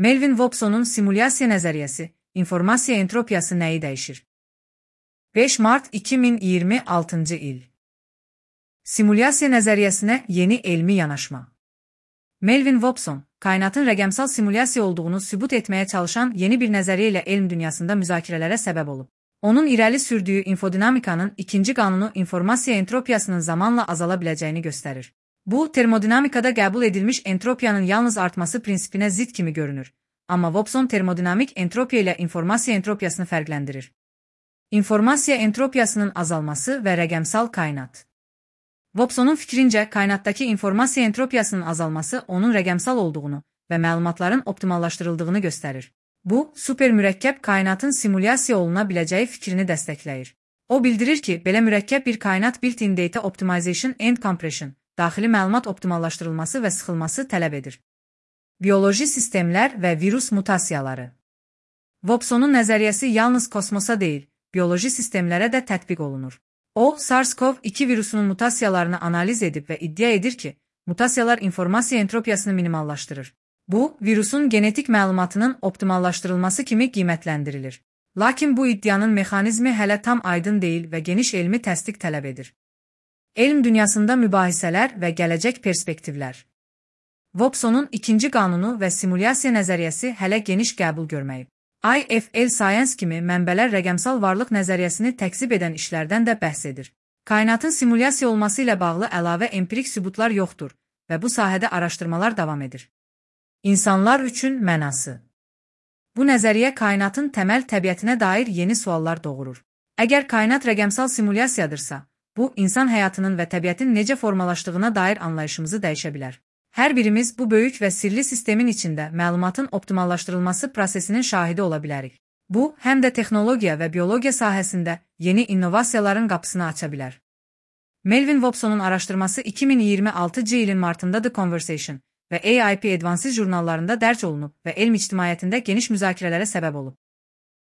Melvin Hobson'un simulyasiya nəzəriyyəsi, informasiya entropiyası nəyi dəyişir? 5 Mart 2026 il. Simulyasiya nəzəriyyəsinə yeni elmi yanaşma. Melvin Hobson, kainatın rəqəmsal simulyasiya olduğunu sübut etməyə çalışan yeni bir nəzəriyyə ilə elm dünyasında müzakirələrə səbəb olub. Onun irəli sürdüyü infodinamikanın ikinci qanunu informasiya entropiyasının zamanla azala biləcəyini göstərir. Bu, termodinamikada qəbul edilmiş entropiyanın yalnız artması prinsipinə zidd kimi görünür. Amma Hobson termodinamik entropiya ilə informasiya entropiyasını fərqləndirir. İnformasiya entropiyasının azalması və rəqəmsal kainat. Hobsonun fikrincə, kainatdakı informasiya entropiyasının azalması onun rəqəmsal olduğunu və məlumatların optimallaşdırıldığını göstərir. Bu, supermürəkkəb kainatın simulyasiya oluna biləcəyi fikrini dəstəkləyir. O bildirir ki, belə mürəkkəb bir kainat built-in data optimization and compression, daxili məlumat optimallaşdırılması və sıxılması tələb edir. Bioloji sistemlər və virus mutasiyaları. Hobsonun nəzəriyyəsi yalnız kosmosa deyil, bioloji sistemlərə də tətbiq olunur. O, SARS-CoV-2 virusunun mutasiyalarını analiz edib və iddia edir ki, mutasiyalar informasiya entropiyasını minimallaşdırır. Bu, virusun genetik məlumatının optimallaşdırılması kimi qiymətləndirilir. Lakin bu iddianın mexanizmi hələ tam aydın deyil və geniş elmi təsdiq tələb edir. Elm dünyasında mübahisələr və gələcək perspektivlər. Hobsonun ikinci qanunu və simulyasiya nəzəriyyəsi hələ geniş qəbul görməyib. IFL Science kimi mənbələr rəqəmsal varlıq nəzəriyyəsini təksib edən işlərdən də bəhs edir. Kainatın simulyasiya olması ilə bağlı əlavə empirik sübutlar yoxdur və bu sahədə araşdırmalar davam edir. İnsanlar üçün mənası. Bu nəzəriyyə kainatın təməl təbiətinə dair yeni suallar doğurur. Əgər kainat rəqəmsal simulyasiyadırsa, bu, insan həyatının və təbiətin necə formalaşdığına dair anlayışımızı dəyişə bilər. Hər birimiz bu böyük və sirli sistemin içində məlumatın optimallaşdırılması prosesinin şahidi ola bilərik. Bu, həm də texnologiya və biologiya sahəsində yeni innovasiyaların qapısını aça bilər. Melvin Hobsonun araşdırması 2026 ilin martında The Conversation və AIP Advances jurnallarında dərc olunub və elm ictimaiyyətində geniş müzakirələrə səbəb olub.